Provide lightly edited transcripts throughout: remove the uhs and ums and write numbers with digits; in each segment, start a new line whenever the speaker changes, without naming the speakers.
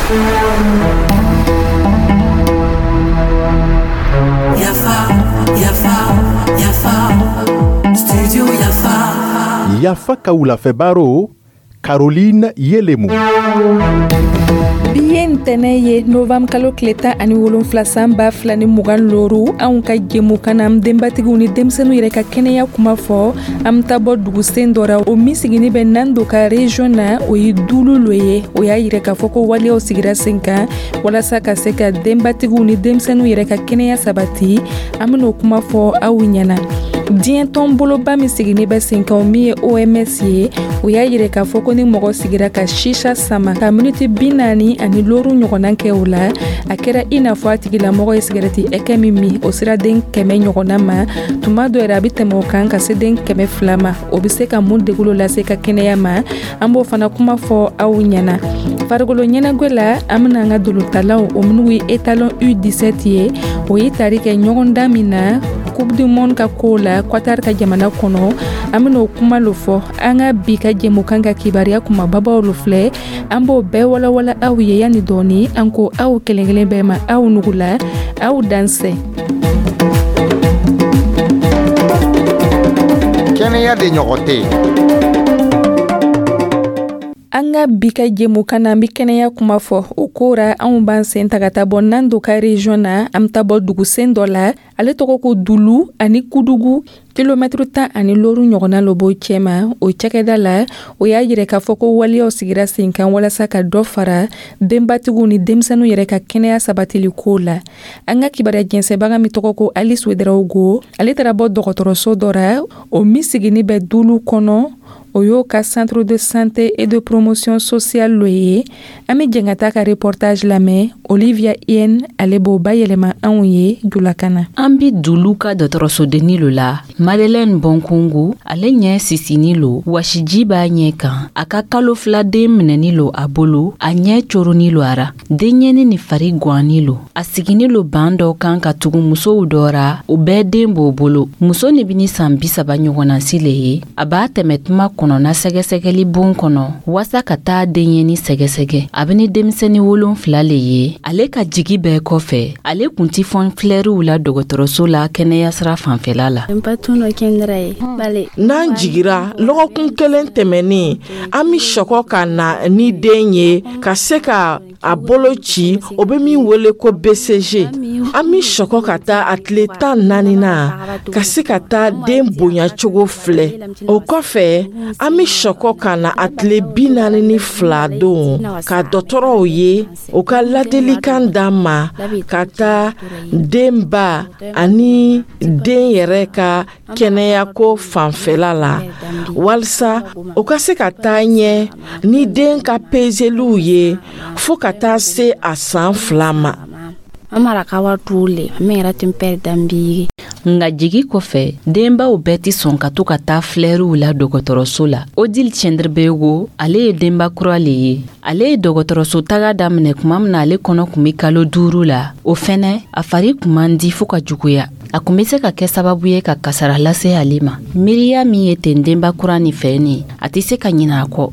Yafa, Yafa, Yafa, Studio Yafa.
Yafa ka wulafɛ baro, Caroline Yelemu.
Bi ye ntɛnɛ ye, novembre kalo tile 17, san 2025. Anw ka jɛmukan na, an denbatigiw ni denmisɛnninw yɛrɛ ka kɛnɛya kuma fɔ. An bɛ taa bɔ dugusen dɔ ra, o min sigini bɛ Nando ka région na, o ye Dulu lo ye. O y'a yira k'a fɔ ko waleyaw sigira sen kan walasa ka se ka denbatigiw ni denmisɛnninw yɛrɛ ka kɛnɛya sabati. An ben'o kuma fɔ aw ɲɛna. Diɲɛ tɔn boloba min sigini bɛ sen kan, o min ye OMS ye, o y'a yira k'a fɔ ko ni mɔgɔ sigira ka sisa sama ka miniti 45 ɲɔgɔnna kɛ o la, a kɛra i n'a fɔ a tigilamɔgɔ ye sigɛrɛti ɛkɛ min min, o sera den 100 ɲɔgɔnna ma. Tuma dɔ yɛrɛ, a bɛ tɛmɛ o kan ka se den 200 ma. O bɛ se ka mun degun lase ka kɛnɛya ma? An b'o fana kuma fɔ aw ɲɛna. Farikolo ɲɛnagwɛ la, an bɛna an ka dolotalaw, o minnu ye étalon U17 ye, o ye tari kɛ ɲɔgɔndan min na Coupe du monde ka ko la Qatar ka jamana kɔnɔ, an bɛna o kuma lo fɔ. An ka bi ka jɛmukan ka kibaruya kumababaw lo filɛ, an b'o bɛɛ walawala aw ye yanni dɔɔni. An ko aw kelen kelen bɛɛ ma, aw nugula, aw dansɛ.
Kɛnɛya de ɲɔgɔn tɛ.
An ka bi ka jɛmukan na, an bɛ kɛnɛya kuma fɔ. O ko ra, anw b'an sen ta ka taa bɔ Nando ka région na. An bɛ taa bɔ dugusen dɔ la, ale tɔgɔ ko Dulu. Ani Kudugu, kilomɛtiri 15 ɲɔgɔnna lo b'o cɛma. O cakɛda la, o y'a yira k'a fɔ ko waleyaw sigira sen kan walasa ka dɔ fara denbatigiw ni denmisɛnninw yɛrɛ ka kɛnɛya sabatili ko la. An ka kibaruya jɛnsɛbaga min tɔgɔ ko Alice Ouedraogo, ale taara bɔ dɔgɔtɔrɔso dɔ ra, o min sigini bɛ Dulu kɔnɔ, o y'o ka centre de santé et de promotion sociale lo ye. An bɛ jɛn ka taa ka reportage lamɛn. Olivia Yen, ale b'o bayɛlɛma anw ye julakan na.
An bi Dulu ka dɔgɔtɔrɔsodenni lo la. Madeleine Bonkungu, ale ɲɛ sisini lo, wasiji b'a ɲɛ kan. A ka kalo 2 den minɛni lo a bolo, a ɲɛ coroni lo a ra. Denɲɛni ni fari gwanni lo. A sigini lo ban dɔ kan ka tugu musow dɔ ra, o bɛɛ den b'o bolo. Muso ni bini san 30 ɲɔgɔnna si le ye. A b'a tɛmɛ tuma kɔnɔna sɛgɛsɛgɛli bon kɔnɔ waasa ka taa denɲɛni sɛgɛsɛgɛ. A bɛ ni denmisɛnnin 7 le ye. Ale ka jigi bɛɛ kɔfɛ, ale kun ti fɔn filɛriw la dɔgɔtɔrɔso la kɛnɛya sira fanfɛla la.
N'an jigira lɔgɔkun kelen tɛmɛnen, an bɛ sɔkɔ ka na ni den ye ka se ka a bolo ci, o bɛ min wele ko BCG. An bɛ sɔkɔ ka taa a tile 14 na ka se ka taa den bonya cogo filɛ. O kɔfɛ, an bɛ sɔkɔ ka na a tile 42 don ka dɔgɔtɔrɔw ye, u ka ladilikan d'an ma ka taa denba ani den yɛrɛ ka kɛnɛyako fanfɛla la, walisa u ka se ka taa ɲɛ ni den ka pezeliw ye fo ka taa se a san 2 ma.
Nka jigi kɔfɛ, denbaw bɛɛ tɛ sɔn ka to ka taa filɛriw la dɔgɔtɔrɔso la. Odile Cɛndirbego, ale ye denba kura le ye. Ale ye dɔgɔtɔrɔso taga daminɛ tuma min na ale kɔnɔ kun bɛ kalo 5 la. O fɛnɛ, a fari kun man di fo ka juguya. A kun bɛ se ka kɛ sababu ye ka kasara lase ale ma. Miiriya min ye ten denba kura nin fɛ nin, a tɛ se ka ɲinɛ a kɔ.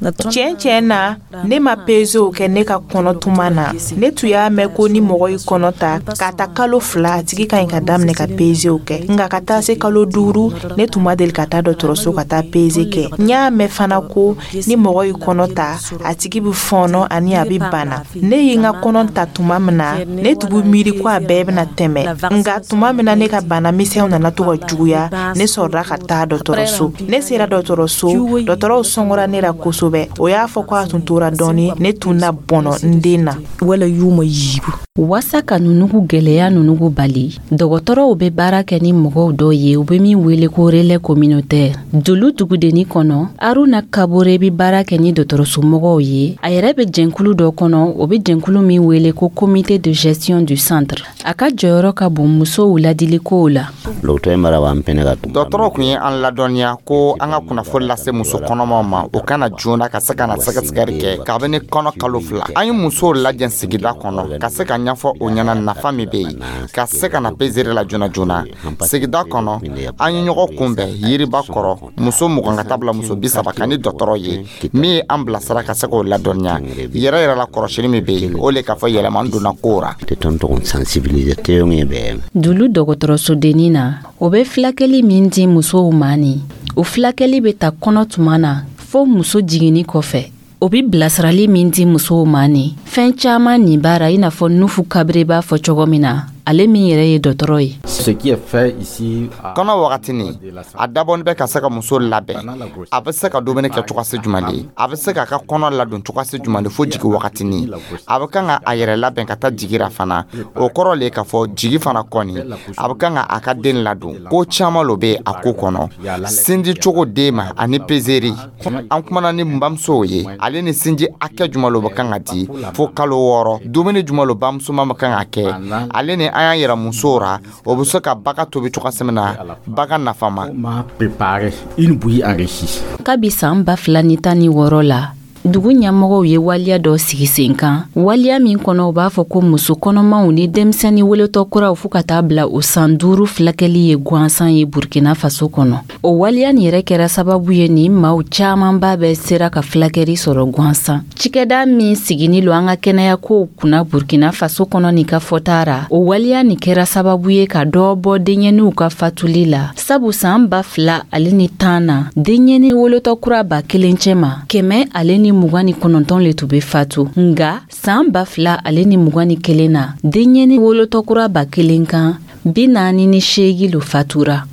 Tiɲɛ na, ne ma pezew kɛ ne ka kɔnɔ tuma na. Ne tun y'a mɛn ko ni mɔgɔ y'i kɔnɔ ta k'a ta kalo 2, a tigi ka ɲi ka daminɛ ka pezew kɛ. Nka ka taa se kalo 5, ne tun ma deli ka taa dɔgɔtɔrɔso ka taa peze kɛ. N y'a mɛn fana ko ni mɔgɔ y'i kɔnɔ ta, a tigi bɛ fɔɔnɔ ani a bɛ bana. Ne ye n ka kɔnɔ ta tuma min na, ne tun bɛ miiri ko a bɛɛ bɛna tɛmɛ. Nka tuma min na ne ka bana misɛnw nana to ka juguya, ne sɔrɔla ka taa dɔgɔtɔrɔso. Ne sera dɔgɔtɔrɔso, dɔgɔtɔrɔw sɔngɔra ne la kosɛbɛ. O y'a fɔ ko a tun tora dɔɔni, ne tun na bɔnɔ n den na.
Wala y'u ma yibu. Waasa ka nunugu gɛlɛya nunugu bali, dɔgɔtɔrɔw bɛ baara kɛ ni mɔgɔw dɔ ye, u bɛ min wele ko relais communautaire. Dulu dugudenni kɔnɔ, Aruna Kabore bɛ baara kɛ ni dɔgɔtɔrɔsomɔgɔw ye. A yɛrɛ bɛ jɛnkulu dɔ kɔnɔ, o bɛ jɛnkulu min wele ko comité de gestion du centre. A ka jɔyɔrɔ ka bon musow ladilikow la.
Dɔgɔtɔrɔ tun ye an ladɔnniya ko an ka kunnafoni lase muso kɔnɔmaw ma, o kana na joona ka se ka na sɛgɛsɛgɛli kɛ kabini kɔnɔ kalo 2. An ye musow lajɛ sigida kɔnɔ ka se ka ɲɛfɔ o ɲɛna nafa min bɛ yen ka se ka na peseli la joona joona. Sigida kɔnɔ, an ye ɲɔgɔn kunbɛn yiriba kɔrɔ, muso 20 ka taa bila muso 30 kan ni dɔgɔtɔrɔ ye min ye an bilasira ka se k'o ladɔnniya yɛrɛ yɛrɛ la. Kɔrɔsili min bɛ yen, o le k'a fɔ yɛlɛma donna ko ra.
Dulu dɔgɔtɔrɔsodennin na, o bɛ filakɛli min di musow ma, ni o filakɛli bɛ ta kɔnɔ tuma na fo muso jiginni kɔfɛ, o bɛ bilasirali min di musow ma, ni fɛn caman nin baara, i n'a fɔ Nufu Kabire b'a fɔ cogo min na, ale min yɛrɛ ye dɔgɔtɔrɔ ye.
Kɔnɔ wagatini, a dabɔnin bɛ ka se ka muso labɛn, a bɛ se ka dumuni kɛ cogosi jumɛn de, a bɛ se k'a ka kɔnɔ ladon cogosi jumɛn de fo jigi wagatini. A bɛ kan ka a yɛrɛ labɛn ka taa jigira fana. O kɔrɔ le k'a fɔ jigi fana kɔni, a bɛ kan ka a ka den ladon. Ko caman lo bɛ a ko kɔnɔ, sinji cogo den ma ani pezeri. An kumana ni bamusow ye, ale ni sinji hakɛ jumɛn lo bɛ kan ka di fo kalo 6, dumuni jumɛn lo bamuso ma kan ka kɛ, ale ni an y'a yira musow ra o bɛ se ka baga tobi cogoya min na, baga nafama.
Kabi san 2016 la, dugu ɲɛmɔgɔw ye waliya dɔ sigi sen kan, waliya min kɔnɔ u b'a fɔ ko muso kɔnɔmaw ni denmisɛnnin wolotɔ kuraw fɔɔ ka taa bila o san 5 filakɛli ye gansan ye Burkina Faso kɔnɔ. O waliya nin yɛrɛ kɛra sababu ye ni maaw caamanba bɛ sera ka filakɛli sɔrɔ gansan. Cikɛda min sigini lo an ka kɛnɛyakow kunna Burkina Faso kɔnɔ nin ka fɔta ra, o waliya nin kɛra sababu ye ka dɔ bɔ denɲɛninw ka fatuli la, sabu san 2010 na, denɲɛni wolotɔ kura 1000 cɛma, 129 le tun bɛ fatu. Nga san 2021 na, denɲɛni wolotɔ kura 1000 kan, 48 lo fatura.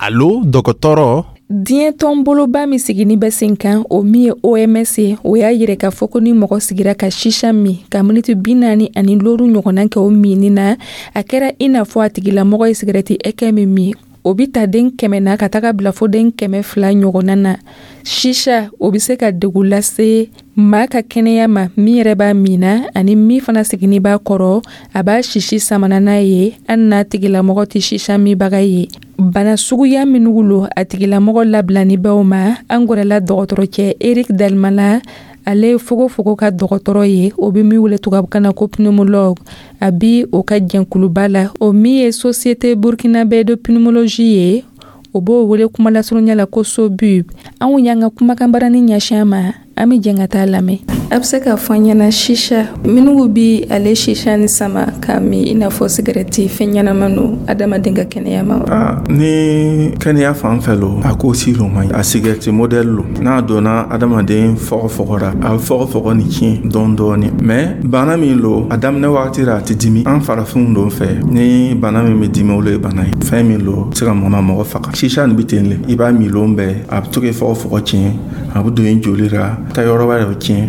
Alo, dɔgɔtɔrɔ.
Diɲɛ tɔnboloba min sigini bɛ sen kan, o min ye OMS ye, o y'a yira k'a fɔ ko ni mɔgɔ sigira ka sisa min ka miniti 45 ɲɔgɔnna kɛ o minni na, a kɛra i n'a fɔ a tigilamɔgɔ ye sigɛrɛti ɛkɛ min min. O bɛ ta den 100 na ka taga bila fo den 200 ɲɔgɔnna na. Sisa, o bɛ se ka degun lase maa ka kɛnɛya ma, min yɛrɛ b'a min na ani min fana sigini b'a kɔrɔ, a b'a sisi samana n'a ye, hali n'a tigilamɔgɔ tɛ sisa minbaga ye. Bana suguya minnu lo, a tigilamɔgɔ labilani bɛw ma. An gɛrɛla dɔgɔtɔrɔcɛ Eric Dalmana, ale ye fogofogo ka dɔgɔtɔrɔ ye, o bɛ min wele tubabukan na ko pneumologue. A bi o ka jɛnkuluba la, o min ye Société burkinabé de pneumologie ye, o b'o wele kumalasurunya la ko SOBUP. Anw y'an ka kumakan barani ɲɛsin a ma, an bɛ jɛn ka taa lamɛn. A bɛ se k'a fɔ an ɲɛna, sisa minnu bi ale sisa ni sama k'a min i n'a fɔ sigɛrɛti, fɛn ɲɛnama don adamaden ka kɛnɛya ma
wa? Ni kɛnɛya fan fɛ lo, a ko si lo man ɲi. A sigɛrɛti modɛli lo, n'a donna adamaden fɔgɔfɔgɔ ra, a bɛ fɔgɔfɔgɔ ni tiɲɛ dɔɔni dɔɔni. Mais bana min lo, a daminɛ wagati ra, a tɛ dimi. An farafinw don fɛ, ni bana min bɛ dimi, olu ye bana ye. Fɛn min lo, se ka mɔna mɔgɔ faga. Sisa nin bɛ ten le, i b'a min lon bɛɛ, a bɛ to k'i fɔgɔfɔgɔ tiɲɛ, a bɛ don i joli ra, ta yɔrɔ wɛrɛ bɛ tiɲɛ,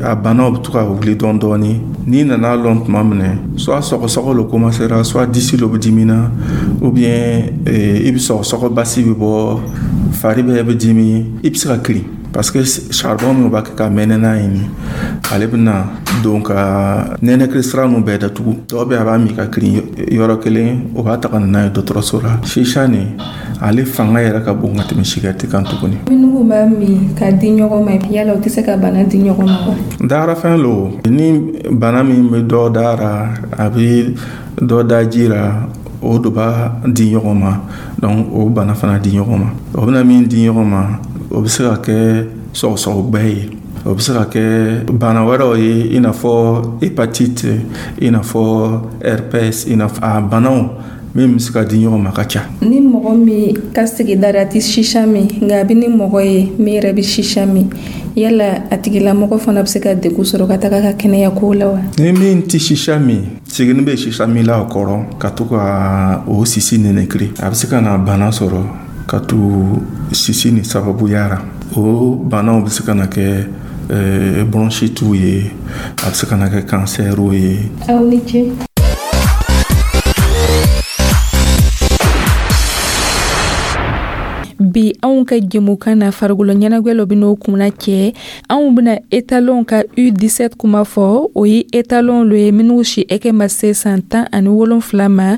a banaw bɛ to ka wuli dɔɔni dɔɔni. N'i nana lɔn tuma min na, soit sɔgɔsɔgɔ lo commencera, soit disi lo bɛ dimina, ou bien i bɛ sɔgɔsɔgɔ basi bɛ bɔ, fari bɛɛ bɛ dimi, i bɛ se ka kirin, parce que charbon min b'a kɛ ka mɛnɛ n'a ye nin, ale bɛna don ka nɛnɛkili sira ninnu bɛɛ datugu. Dɔw bɛ a b'a min ka kirin yɔrɔ kelen, o b'a ta ka na n'a ye dɔgɔtɔrɔso la. Sisa nin, ale fanga yɛrɛ ka bon ka tɛmɛ sigɛrɛti kan tuguni.
Minnu b'a min ka di ɲɔgɔn ma, yala o tɛ se ka bana di ɲɔgɔn ma wa?
Darafɛn lo, ni bana min bɛ dɔ da ra, a bɛ dɔ da ji ra, o de b'a di ɲɔgɔn ma. Donc o bana fana di ɲɔgɔn ma. O bɛna min di ɲɔgɔn ma, o bɛ se ka kɛ sɔgɔsɔgɔgbɛ ye, o bɛ se ka kɛ bana wɛrɛw ye, i n'a fɔ hépatite, i n'a fɔ herpès, i n'a fɔ a banaw min bɛ se ka di ɲɔgɔn ma ka ca.
Ni mɔgɔ min ka sigida la tɛ sisa min, nka a bɛ ni mɔgɔ ye min yɛrɛ bɛ sisa min, yala a tigilamɔgɔ fana bɛ se ka degun sɔrɔ ka taga ka kɛnɛya ko la wa?
Ni min tɛ sisa min, sigini bɛ sisa min la a kɔrɔ ka to ka o sisi nɛnɛkiri, a bɛ se ka na bana sɔrɔ ka to sisi ni sababuya ra. O banaw bɛ se ka na kɛ bronchitew ye, a bɛ se ka na kɛ kansɛriw ye.
Aw ni ce. Bi anw ka jɛmukan na, farikolo ɲɛnajɛ lɔ bɛ n'o kunna cɛ. Anw bɛna étalon ka U17 kuma fɔ. O ye étalon lo ye minnu si ɛkɛ ma se san 17 ma.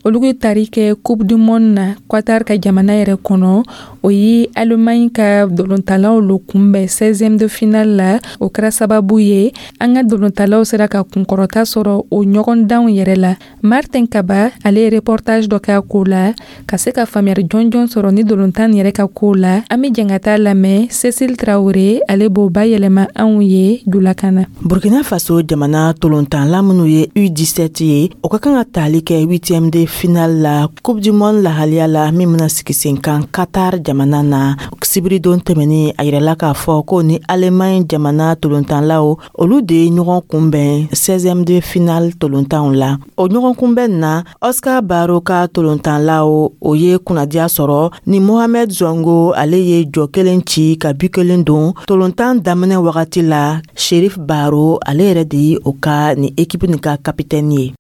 Olu tari kɛ Coupe du monde na Qatar ka jamana yɛrɛ kɔnɔ. O ye Allemagne ka dolontalaw lo kunbɛn 16e de finale la. O kɛra sababu ye an ka dolontalaw sera ka kunkɔrɔta sɔrɔ o ɲɔgɔndanw yɛrɛ la. Martin Kaba, ale ye reportage dɔ kɛ a ko la ka se ka faamuyali jɔnjɔn sɔrɔ ni dolontan yɛrɛ ka ko la. An be jɛn ka taa lamɛn. Cécile Traoré, ale b'o bayɛlɛma anw ye julakan na.
Burkina Faso jamana tolontanla minnu ye U17 ye, o ka kan ka tali kɛ huitième de finale la Coupe du monde lahaliya la min bena sigi sen kan Qatar jamana na. Sibiridon tɛmɛni, a yirala k'a fɔ ko ni Allemagne jamana tolontanlaw, olu de ye ɲɔgɔn kunbɛn 16e de finale tolontanw la. O ɲɔgɔn kunbɛn na, Oscar Baro ka tolontanlaw, o ye kunnadiya sɔrɔ ni Mohamed Zongo, ale ye jɔ kelen ci ka bi kelen don tolontan daminɛ wagati la. Sherif Baro, ale yɛrɛ de ye o ka ni ekipu nin ka kapitɛni ye.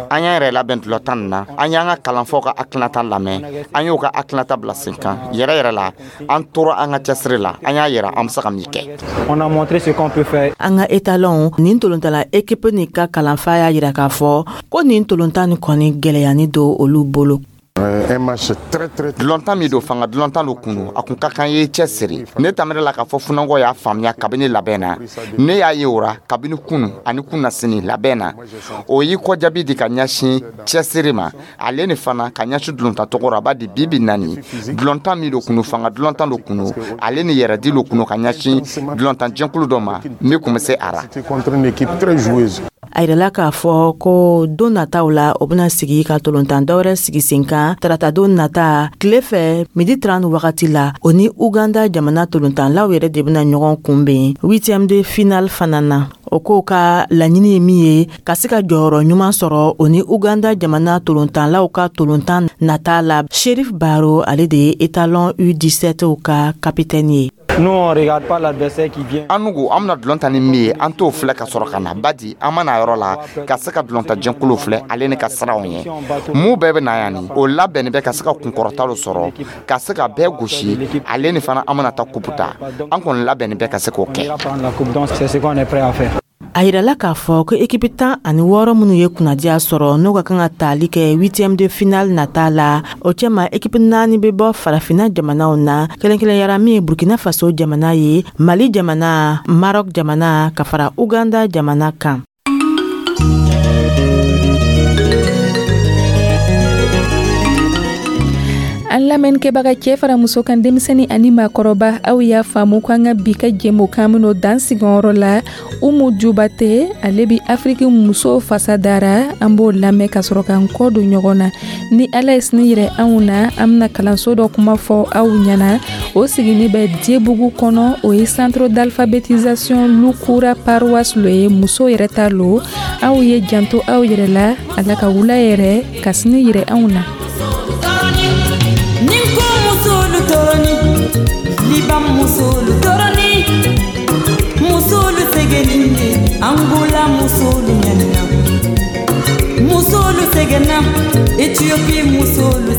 An y'an yɛrɛ labɛn dulɔtan nin na. An y'an ka kalanfaw ka hakilinata lamɛn, an y'o ka hakilinata bila sen kan. Yɛrɛ yɛrɛ la, an tora an ka cɛsiri la, an y'a yira an bɛ se ka min kɛ.
An ka Étalon nin tolontala ekipu nin ka kalanfa y'a yira k'a fɔ ko nin tolontan nin kɔni gwɛlɛyani don olu bolo.
Dulɔntan min don, fanga dulɔntan don kunu, a kun ka kan ye cɛ siri. Ne tamɛrɛ la k'a fɔ funangɔ y'a faamuya kabini labɛn na. Ne y'a ye o ra kabini kunu ani kunasini labɛn na. O y'i kɔjaabi di ka ɲɛsin cɛsiri ma, ale ni fana ka ɲɛsin dulɔntan tɔgɔ ra. A b'a di bibi nani dulɔntan min don kunu, fanga dulɔntan don kunu, ale ni yɛrɛdi lo kunu ka ɲɛsin dulɔntan jɛnkulu dɔ ma min kun bɛ se a ra.
A yirala k'a fɔ ko don nataw la, o bena sigi ka tolontan dɔwɛrɛ sigi sen kan tarata don nata tile fɛ midi 30 wagati la. O ni Uganda jamana tolontanlaw yɛrɛ de bena ɲɔgɔn kunbɛn huitième de finale fana na. O k'o ka laɲini ye min ye, ka se ka jɔyɔrɔ ɲuman sɔrɔ o ni Uganda jamana tolontanlaw ka tolontan nata la. Sherif Baro, ale de ye Étalon U17 ka kapitɛni ye.
An nugu an bena dulɔn ta ni min ye, an t'o filɛ ka sɔrɔ ka na badi. An mana yɔrɔ la ka se ka dulɔnta jɛnkulu filɛ, ale ni ka siranw ye mun bɛɛ bɛ na yan ni o labɛnni bɛ ka se ka kunkɔrɔta dɔ sɔrɔ, ka se ka bɛɛ gosi, ale ni fana an bena ta kupu ta. An kɔni labɛnni bɛ ka se k'o kɛ.
A yirala k'a fɔ ko ekipi 16 minnu ye kunnadiya sɔrɔ, n'o ka kan ka tali kɛ huitième de finale nata la, o cɛma ekipi naani bɛ bɔ Farafinna jamanaw na kɛrɛnkɛrɛnyara, min ye Burkina Faso jamana ye, Mali jamana, Maroc jamana, ka fara Uganda jamana kan.
An lamɛnnikɛbaga, cɛɛ fara muso kan, denmisɛni ani maakɔrɔba, aw y'a faamu ko an ka bi ka jɛmukan min'o dan sigiyɔrɔ la. Umu Jubate, ale bi Afiriki muso fasa dara, an b'o lamɛn ka sɔrɔ k'an kɔ don ɲɔgɔn na. Ni Ala ye sini yirɛ anw na, an bena kalanso dɔ kuma fɔ aw ɲɛna. O sigini bɛ Diyebugu kɔnɔ. O ye centre d'alphabétisation Lukura paroisse lo ye, muso yɛrɛ ta lo. Aw ye janto aw yɛrɛ la. Ala ka wula yɛrɛ ka sini yirɛ anw na.
Nin ko musolu toroni, Liban musolu toroni, musolu segeninde, Angola musolu ɲanina, musolu segenna, Ethiopie musolu.